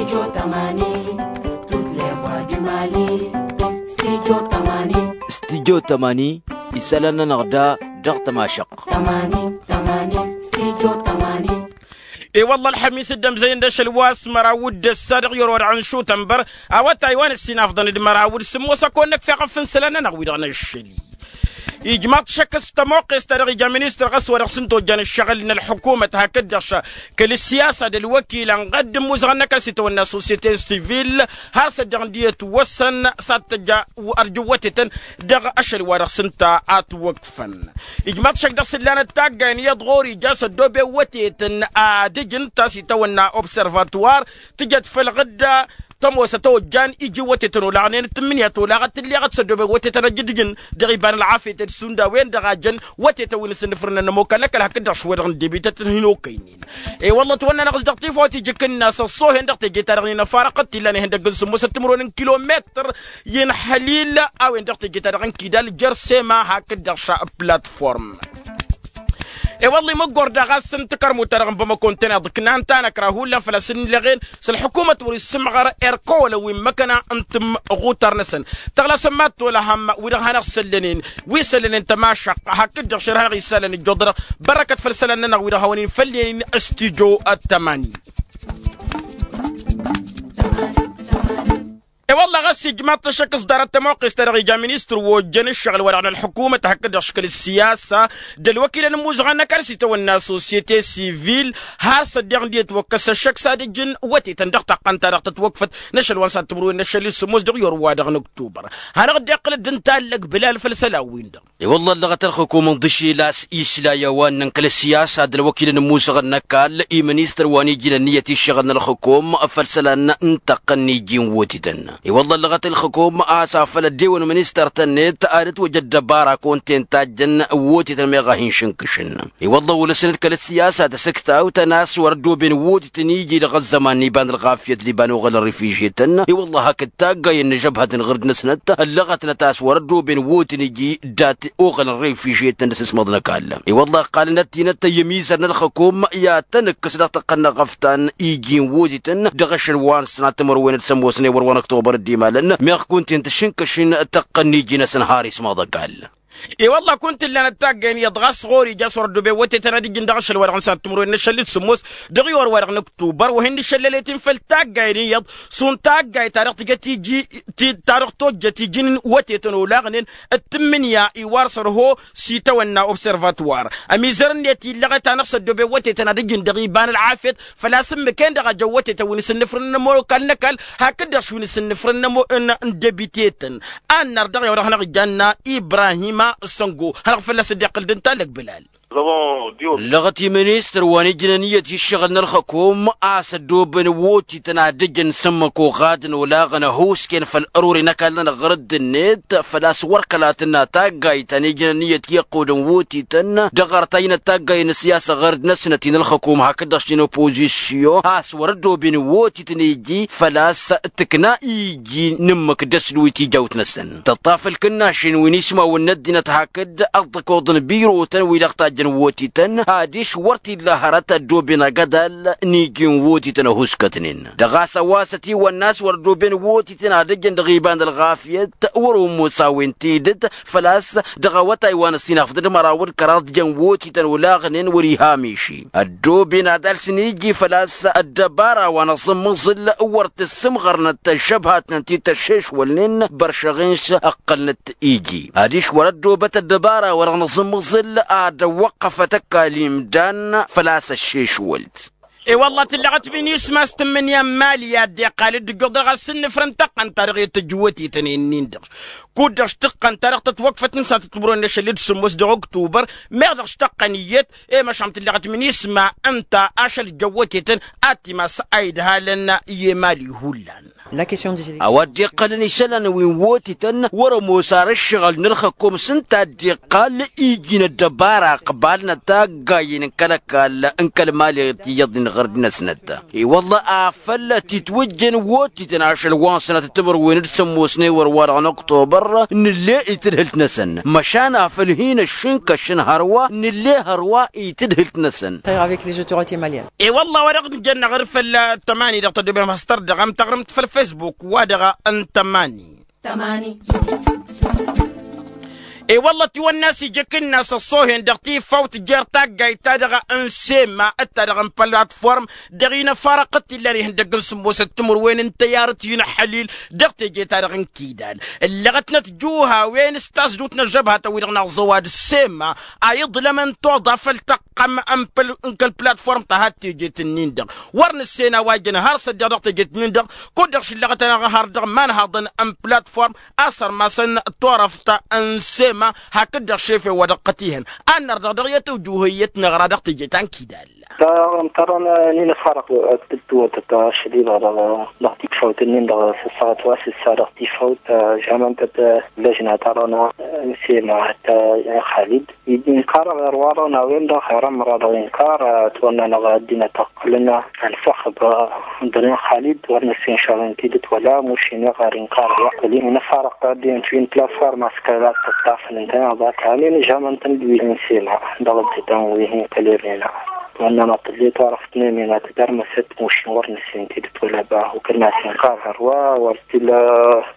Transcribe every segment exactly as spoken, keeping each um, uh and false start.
Studio tămani. Studio tămani. Isălan-nănăɣ da dăɣ-tămašăɣt. E-wălla ălxămis dd-ămzăyăn d-ašăl wa s-măraw d-ăssa dăɣ-yăr wa dăɣ-nǝšutănbăr. Awătay wa n-ăssinafḍăn d-măraw d-sǝmmos ăkon năkf i-aɣăfăn isălan-nănăɣ wi-dăɣ n-ašăl-i. Ijmaḍ-t šăkk s-tămoqqes-ta-dăɣ ija ministăr ɣas wa dăɣ-s n-tojjan ǝššăɣǝl n-ălḥukumăt hakd-dăɣ kăl-ǝssiyasa d-ălwăkil ănɣăd d-ǝmmuzăɣăn n-ăkall s-itawănna sosyete sivil har s-ăddiɣ n-dd-iyyăt wăssăn s-ad-tăjja ărjǝwwătetăn dăɣ-ašăl wa dăɣ-s ǝnta a ătwăkfăn. Ijmaḍ-t šăkk dăɣ-s ǝllanăt taggayen iyyăḍ ɣur-ija s-ăddooben wătetăn ad-ǝjǝn ta s-itawănna observatwar tǝjăt făll-ɣǝdda tămoosăt ojjan iji wătetăn olaɣnen d-tǝmmǝnǝya tolaɣăt tǝlleɣăt s-ăddooben wătetăn ad-ǝjǝn dăɣ-iba n-ălɣafyăt d-sunda a-wen-dăɣ a jăn wătetăn wi n-asǝnnǝfrǝnăn n-ămokal n-ăkall hakd-dăɣ šwădăɣ n-debităt n-hin-okăynen. E-wălla ătwănna-năɣ s-dăɣ-tifawt iji kǝnna s-ăṣṣoohen dăɣ-teje-ta-dăɣ n-inăfarăɣ t-illan ihăndăgg n-sǝmmosăt timǝrwen n-kilometăr i-inhălil a-wen dăɣ-teje-ta-dăɣ n-kidal jer-sema hakd-dăɣ šaplatform. E-wălla imǝggor daɣ a-s n-takărmut-ta-dăɣ n-bamăko ǝntăneḍ ǝknan tanăkra hullan făl-a-s ǝnnilăɣen s-ălḥukumăt wăr-issǝmɣăr erkăwălăn wi n-măkăna n-tǝmɣutar-năsăn. Tăɣlasăn mad-t-olăhăm wi-dăɣ hanăɣ-săllănen wi săllănen tămašăɣt hakd-dăɣ šer hanăɣ-issalăn ǝjjoḍ-dăɣ. Bărăkăt făll-isălan-nănăɣ wi-dăɣ hawăn-in făll-en stujo ăttămani. E-wălla ɣas ijmaḍ-t ăššăk s-ḍarăt tămoqqes-ta-dăɣ ija ministăr wa ojjăn ǝššăɣǝl-wa-dăɣ n-ălḥukumăt hakd-dăɣ škăl ǝssiyasa d-ălwăkilăn ǝmmuzăɣăn n-ăkall s-itawănna sosyete sivil har s-ăddiɣ n-dd-iyyăt wăkkăs ăššăk s-ad-ǝjǝn wătetăn dăɣ-taqqăn-ta-dăɣ tătwăkfăt n-ašăl wa n-sat timǝrwen n-ašăl-i s-sǝmmos dăɣ-iwăr-wa-dăɣ n-ăktubăr. Hanăɣ-dd-iqqǝl dd-ǝnta allăg bǝlal făll-isălan-win-dăɣ. I-wălla ǝllăɣăt ălxǝkum ǝnḍǝšel a-s isla i-a-wa ǝnnăn kăl-ăssiyasa d-ălwăkilăn ǝmmusăɣăn n-ăkall i-ministăr wa n-ijnăn iyyăt iššăɣǝl n-ălxǝkum făll-isălan n-taqqăn n-iji n-wotităn. I-wălla ǝllăɣăt ălxǝkum a-s afăl ăddewăn ministăr-tăn-net ad-ătwăj ăddăbara kăwăn-ten tajjăn wotităn meɣ a hin-šǝnkǝšăn. I-wălla olăsnăt kăl-ăssiyasa d-asǝktawt n-a-s wăr-ăddooben wotităn iji dăɣ-ăzzăman n-iba n-ălɣafyăt d-iba n-oɣăl n-rifijyetăn i-wălla hakd taggayăn n-ažăbhăt n-iɣǝrd-năsnăt ăllăɣătnăt a-s wăr-ăddooben wotităn iji dat-oɣăl n-rifijyetăn d-asǝsmăḍ n-ăkall. I-wălla ăqqalăn ăttinăt i-ămizăr n-ălxǝkum i-ad-tăn-ǝkkǝs dăɣ-taqqăn n-aɣăftan iji n-wotităn dăɣ-ašăl wa n-sănat timǝrwen d-sămoosnen wăr-wa n-ăktobăr dd-imalăn meɣ kunta-en tǝšǝnkăšin taqqăn n-iji-năsăn har ismaḍ ăkall. I-wălla kunta ǝllanăt taggayen iyyăḍ ɣas ɣur-ija a-s wăr-ăddooben wătetăn ad-ǝjǝn dăɣ-ašăl wa dăɣ-nǝsăn ad-timǝrwen n-ašăl-i d-sǝmmos dăɣ-iwăr wa dăɣ-nǝktubăr wa hin-dd-išăllălet-in făll-taggayen iyyăḍ šund taggayt ta dăɣ-tǝjjăt iji ta dăɣ-tojjăt iji n-wătetăn olaɣnen d-tǝmmǝnǝya iwar sărho s-itawănna observatwar. Ămizăr-net illăɣăt-anăɣ s-ăddooben wătetăn ad-ǝjǝn dăɣ-iba n-ălɣafyăt făl-a-s ǝmmǝk-en-dăɣ a jăn wătetăn wi n-asǝnnǝfrǝn n-ămokal n-ăkall hakd-dăɣ š-wi n-asǝnnǝfrǝn n-ămo n-debiteten. Annar dăɣ-i-wa dăɣ-hanăɣ-ijjanna ibrahima săngo hanăɣ-fălla-s dd-iqqǝl d-ǝnta ăllăg bǝlal. Ǝllăɣăt i-ministăr wa n-ijnăn iyyăt i-ǝššăɣǝl n-ălxǝkum a-s ăddooben wotităn ad-ǝjǝn s-ǝmmǝk oɣadăn olaɣăn ăhuusken făll-ărore n-ăkall-nănăɣ ɣur-dd-net făl-a-s wăr kăla tǝnna taggayt ta n-ijnăn iyyăt i-ăqqodăn wotităn dăɣ-arăt a ijnăt taggayen n-ăssiyasă ɣur-dd-năsnăt-i n-ălxǝkum hakd-dăɣ šin opozisyon a-s wăr-ăddooben wotităn iji făl-a-s tǝkna iji n-ǝmmǝk d-ăslǝw i-tijawt-năsăn tǝṭṭaf ǝlkǝnnašen wi n-ismawăn n-ăddinăt hakd ăḍḍăkoḍ n-birotăn wi-dăɣ tajjăn wotităn adiš wăr t-illa hărăt ăddooben agădal n-iji n-wotităn ăhuskătnen dăɣ-a-s ăwasăt-iwăn n-a-s wăr-ăddooben wotităn ad-ǝjǝn dăɣ-iba n-ălɣafyăt wăr-omusa a-wen tidǝt făl-a-s dăɣ-awătay wa n-ăssinafḍăn d-măraw d-kăraḍ jăn wotităn olaɣnen wăr-iha miši ăddooben ad-alsăn iji făl-a-s ăddăbara wa n-aẓǝmmǝẓǝl wăr t-ǝssǝmɣărnăt ăžžăbhatnăn ti tăššešwălnen băršăɣ-inš ǝqqălnăt iji adiš wăr-ăddoobăt ăddăbara wa dăɣ-nǝẓǝmmǝẓǝl ad-ăwwăqqăfăt ăkall imdan făl-a-s ăššešwălt. I-wălla tǝlleɣăt minisma s-tǝmmǝnǝya n-imali i-ad-dd-iqqal dd-ǝjjuḍ dăɣ-asǝnnǝfrăn tăqqăn-ta-dăɣ i-tǝjj wătetăn-in-dăɣ kud-dăɣ š-tăqqăn-ta-dăɣ tătwăkfăt n-sănatăt timǝrwen n-ašăl-i d-sǝmmos dăɣ-oktubăr meɣ dăɣ-š tăqqăn iyyăt i-măšan tǝlleɣăt minisma ǝnta ašăl jăn wătetăn ad-timas a idhalăn i-imali hullan. A-wa dd-iqqălăn isălan wi n-wotităn wăr-ămoos ar ǝššăɣǝl n-ălxăkkum s-ǝnta a dd-iqqal iji n-ăddăbara ăqbal n-ataggayen n-kăl-ăkall n-kăl-mali tiyyăḍ-in ɣur-dd-năsnăt. I-wălla afăl titwǝjjăn wotităn ašăl wa n-sănatăt timǝrwen d-sămmos n-ewăr-wa-dăɣ n-oktobăr nǝlle itǝdhǝlt-năsăn măšan afăl hin-ăššǝnkăšăn hărwa nǝlle hărwa itǝdhǝlt-năsăn. I-wălla wa dăɣ-nǝjănna ɣur-făll tămani dăɣ-tăddoben hastăr dăɣ-am taɣrǝmt făll-fesbuk wa dăɣ-n tămani. I-wălla tiwănna s-ija akǝnnas ăṣṣohen dăɣ-tifawt jer-taggayt-ta-dăɣ n-sema d-ta-dăɣ n-platform dăɣ-inăfarăɣ-t illan ihăndăgg n-sǝmmosăt timǝrwen n-tăyarăt i-inăxălil dăɣ-teje-ta-dăɣ n-kidal. Ǝllăɣătnăt juhawen s-tasdut n-ăžžăbhatăn-wi-dăɣ n-aẓăwad sema a iḍlămăn toḍa făll-tăqqăm n-kăl-platform ta had tejet-nin-dăɣ. Wăr nǝssen a-wa jăn har s-ăddiɣ dăɣ-tejet-nin-dăɣ kud-dăɣ šǝllăɣăt-anăɣ har dăɣ-imanhaḍăn n-platform a sărmasăn turăft n-sema hakd-dăɣ šefe wa dăɣ-tăt-ihăn. Ad-năr dăɣ-dăɣ i-tăwjuhăyyăt năɣra dăɣ-teje ta n-kidal. Dăɣ-ămtărăn n-inăfarăɣ tǝttǝwătăt ašăl-i-dăɣ dăɣ-tifawt-nin-dăɣ s-ăssaɣăt wa s-ǝssa dăɣ-tifawt. Žămăn-tăt lăžna tarăn n-sema hătta i-xalid. Iji inkarăɣ irwarăn a-wen-dăɣ irămra dăɣ-inkar ătwănnănăɣ ăddinăt ăqqălăn ănfăxăb dăr-in xalid wăr năssin šăɣ-in tidǝt wăla mušin iɣar inkar wa. Kăl-in inăfarăɣ ta ăddinăt wi n-platform a-s kăla tăṭṭafăn ǝntăneḍ a-t hanen žamăn-tăn d-wi n-sema dăɣ-ăddinăt wi hin-kălemena. Ătwănnănăɣ tǝllet wa răfăt nemena tădarmăsăt mušin wăr năssin tidǝt wăla bahu kăl-nas inkar hărwa wăr tila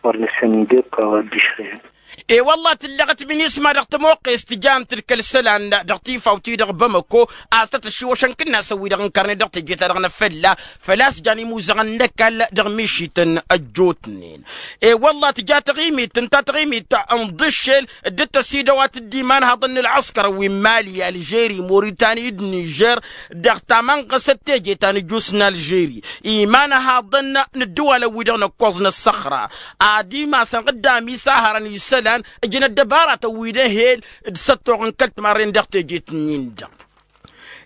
wăr năssin n-depka wa dd-išrǝyăn. E-wălla tǝllăɣăt minisma dăɣ-tămoqqest tǝjam-tǝd kăl-isălan dăɣ-tifawt-i-dăɣ bamăko a-s tăt-ăššiwăšăn kǝnnasăn-wi-dăɣ ǝnkărnen dăɣ-teje-ta-dăɣ n-afălla. Făl-a-s jan imuzăɣăn n-ăkall dăɣ-mišităn ăjjootnen. E-wălla tǝja taɣimit ǝnta taɣimit n-iḍǝššel dd-tăsidăwat d-imanhaḍăn n-ălɣăskăr wi n-mali ălžeri moritani d-nižer dăɣ-tamănɣăsăt teje ta n-ăjus n-ălžeri imanhaḍăn n-ăddǝwalăn-wi-dăɣ n-ǝkkoẓ n-ăssăxra. Ad-imasăn ɣǝddam isahărăn isălan ǝjǝn ăddăbaratăn wi d-ehel d-săttoɣ n-kăl-timarren dăɣ-tejet-nin-dăɣ.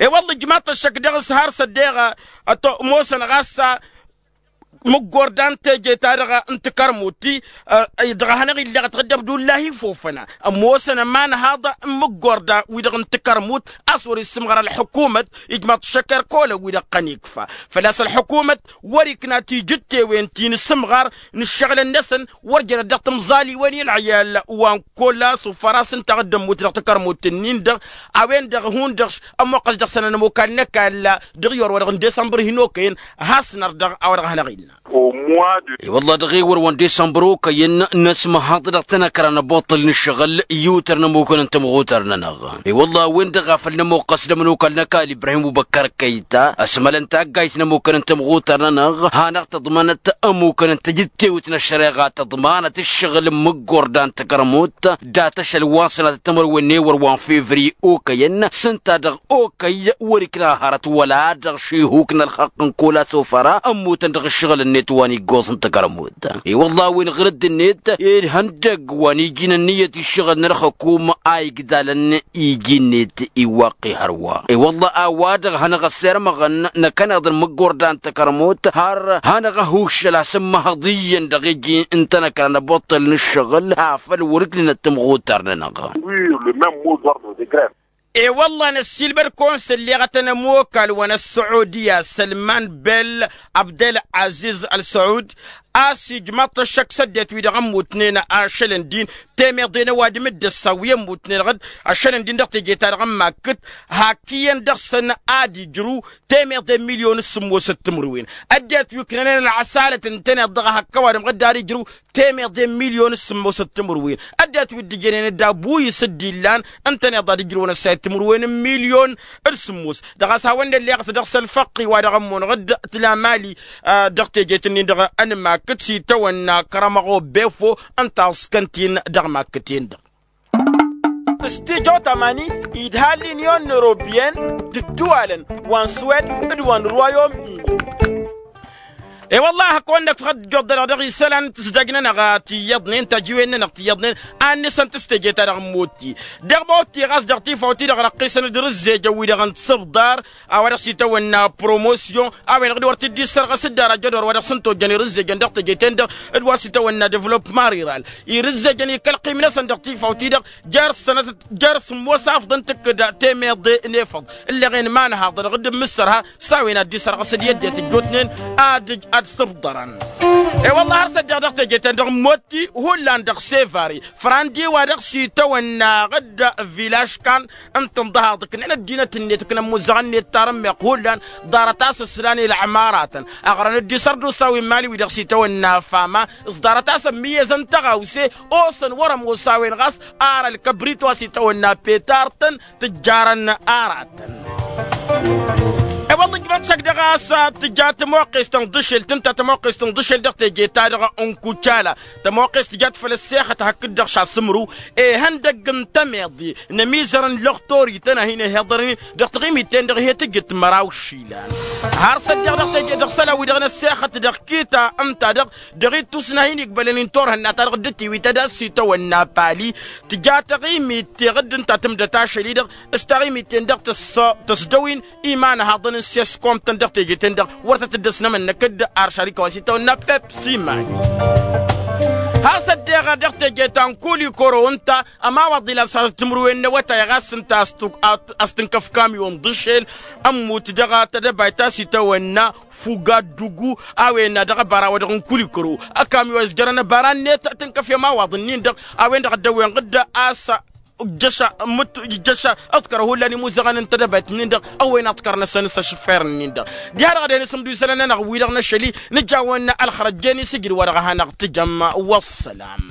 E-wălla ǝjmaḍ-t ăššăk dăɣ-s har s-ăddeɣ ămosăn ɣas mǝggorda n-teje-ta-dăɣ n-tikărmut-i dăɣ-a hanăɣ-illeɣ ătɣǝd abdullahi fofăna ămoosăn ămanhaḍ n-mǝggorda-wi-dăɣ n-tikărmut a-s wăr-issǝmɣăr ălḥukumăt. Ijmaḍ-t ăššăk erk olăn-wi-dăɣ qăn ikfa făl-a-s ălḥukumăt wăr-ikna tijǝttewen ti n-isǝmɣar n-ǝššăɣǝlăn-năsăn wăr jărăt dăɣ-timẓaliwen i-ălɣiyal wa n-kola s-ufăras ǝnta a dd-ămmut dăɣ-tikărmut-nin-dăɣ. A-wen-dăɣ hundăɣ ămmuqqăs dăɣ-săn ănămokal n-ăkall dăɣ-i orwădăɣ n-desămbăr hin-okăyăn. Has-năr dăɣ-a-wa dăɣ-hanăɣ-innă. I-wălla dăɣ-ewăr wa n-desămbăr okăyăn năsmăhăḍ dăɣ-tanăkra n-abuṭṭǝl n-ǝššăɣǝl i-utăr n-ămukăn n-tămɣutăr-nănăɣ. I-wălla a-wen-dăɣ a făl nămoqqăs d-ămănokal n-ăkall ibrahim ubăkkăr kăyta ăsmălăn taggayt n-ămukăn n-tămɣutăr-nănăɣ hanăɣ-tăḍmanăt ămukăn n-tajǝttewt n-ăššăreɣa tăḍmanăt ǝššăɣǝl n-imǝggorda n-takărmut dat-ašăl wa n-sănatăt timărwen n-ewăr wa n-fevriye okăyăn s-ǝnta dăɣ-okăy wăr-ikna hărăt wăla dăɣ-šihuk n-ălxăqq n-kăwăla s-ofăra ămmutăn dăɣ-ǝššăɣǝl-net wa n-iggoẓ n-takărmut. I-wălla a-wen ɣǝrǝdd-net ihăndăgg wa n-iji n-ǝnniyăt iššăɣǝl n-ălxăkum a igdalăn iji-net iwaqqi hărwa. I-wălla a-wa-dăɣ hanăɣ-ăssirmăɣăn năkkăneḍ n-imǝggorda n-takărmut har hanăɣ-ăhuššăl asǝmmăhăḍ iyyăn dăɣ-iji n-tanăkra n-abuṭṭǝl n-ǝššăɣǝl afăl wăr-ǝknǝnăt timɣutăr-nănăɣ. E-wălla-hi năssiilbăd kăwăn-sălleɣătăn ămokal wa n-ăssăudiya sălman bel abdel aziz ălsăud a-s ijmaḍ-t ăššăk s-ăddinăt wi-dăɣ ămmutnen ašălăn din temeḍe n-ăwadǝm d-ăssa wi ămmutnen ɣǝd ašălăn din dăɣ-teje-ta-dăɣ n-makkǝt hak iyyăn dăɣ-săn ad-ijrǝw temeḍe n-milyon s-sǝmmosăt timǝrwen. Ăddinăt wi ǝknănen ălɣăsalăt ǝntăneḍ dăɣ-ehăkk ăwadǝm ɣǝd ad-ijrǝw temeḍe n-milyon s-sǝmmosăt timǝrwen. Ăddinăt wi dd-ǝjănen dd-abu-i s-dd-illan ǝntăneḍ ad-ijrǝwăn ăssayăt timǝrwen n-milyon d-sǝmmos. Dăɣ-a-s hawăn-dd-ălleɣăt dăɣ-s ălfăqqi wa dăɣ-ămmunăɣ-dd tǝla mali dăɣ-tejet-nin-dăɣ ănmakkǝt s-itawănna kăramăɣ obefo ǝnta a ǝṣkăn-t-in dăɣ-makkǝt-en-dăɣ. S-tijo tamani idha l-inyon n-europyen d-ǝddǝwalăn wa n-swed d-wa n-rwayom-ini. E-wălla-hi hak-wăn-năkk făl dd-ijjuḍ-dăɣ dăɣ-isălan tǝzdajnen-ăɣ tiyyăḍnen tajǝwen-nănăɣ tiyyăḍnen a ǝnnǝsăn tǝstejăy-ta-dăɣ n-motti. Dăɣ-motti ɣas dăɣ-tifawt-i-dăɣ răqqisăn-dd irǝzzejăn wi-dăɣ n-tisǝbḍar a-wa dăɣ-s itawănna promosyon a-wen-dăɣ d-wăr t-dd-issărɣăs dd-ara jădor wa dăɣ-s n-tojjăn irǝzzejăn dăɣ-teje-ten-dăɣ d-wa s-itawănna devălopma riral. Irǝzzejăn ikăl ăqqim-năsăn dăɣ-tifawt-i-dăɣ jer-sănăt jer-sǝmmos afḍăn tǝkkǝd temeḍe n-efăḍ ǝlleɣen imanhaḍăn ɣǝdd n-imǝssărha s-a-wen ad-dd-isărɣǝs d-i ăddinăt ăjjootnen ad-ǝj ad-sǝbḍărăn. E-wălla-hi har s-ăddeɣ dăɣ-teje-ten-dăɣ n-motti hullan dăɣ-sevari frandi wa dăɣ-s itawănna ɣǝdd vilaškan ǝnta ǝnḍăhaḍ ǝknen ăddinăt-net ǝknăn imuzăɣăn-net tarǝmmeɣt hullan ḍarăt-as ǝslan i-lăɣmaratăn ăɣrăn dd-isărdusa wi n-imali wi dăɣ-s itawănna fama s-ḍarăt-as ămmiyyăzăn tăɣawse osăn wăr-ămoos a-wen ɣas ar ălkăbrit wa s-itawănna petartăn tǝjjarăn aratăn. E-wălla-hi ǝjmăḍ šăkk dăɣ-a-s tǝja tămoqqest n-iḍǝšel tǝnta tămoqqest n-iḍǝšel dăɣ-teje-ta-dăɣ n-kucala tămoqqest tǝjat făll-ăssexăt hakd-dăɣ šasǝmrǝw ihăndăgg n-tămeḍe n-ămizăr n-lăxtorităn a hin-ăhiḍărnen dăɣ-taɣimit-ten-dăɣ hi-tǝjǝt măraw išilan. Har s-ăddeɣ dăɣ-teje dăɣ-isălan-wi-dăɣ n-ăssexăt dăɣ-kita ǝnta-dăɣ dăɣ-ittus n-ad-hin-igbălăn intorhăn n-ad-ta-dăɣ dd-tiwit ad-ass itawănna pali tǝja taɣimit teɣǝd ǝnta tǝmdăt ašăl-i-dăɣ s-taɣimit-ten-dăɣ tăsdăwin imanhaḍăn n-seskom-tăn dăɣ-teje-ten-dăɣ wăr tăt-dd-ăsnămănnăk d-ar šarika wa s-itawănna pepsimani. Has-ăddeɣ dăɣ-teje ta n-kulikoro ǝnta ămawaḍ ilan s-ad-tǝmrǝwen n-awătay ɣas ǝnta a-s tǝnkăf kamyon d-ašel ămmut dăɣ-tedăbayt ta s-itawănna fugaddugu a-wen dăɣ-ăbara wa dăɣ-n kulikoro ăkam i-wa s-jărăn ăbara-net tǝnkăf i-ămawaḍ-nin-dăɣ a-wen-dăɣ dd-ăwwen ɣǝdda a-s ǝjjăš ǝmmǝt ǝjjăš ǝḍkăr hullan imuzăɣăn n-tedăbayt-nin-dăɣ ăwwen aḍkăr-năsăn s-ašǝffer-nin-dăɣ. Diha-dăɣ a dăɣ-inǝsǝmdu isălan-nănăɣ wi-dăɣ n-ašăl-i nǝjawăn ălxărăjjen isǝjǝd wa dăɣ-a hanăɣ-tǝjăm. Wăssălam.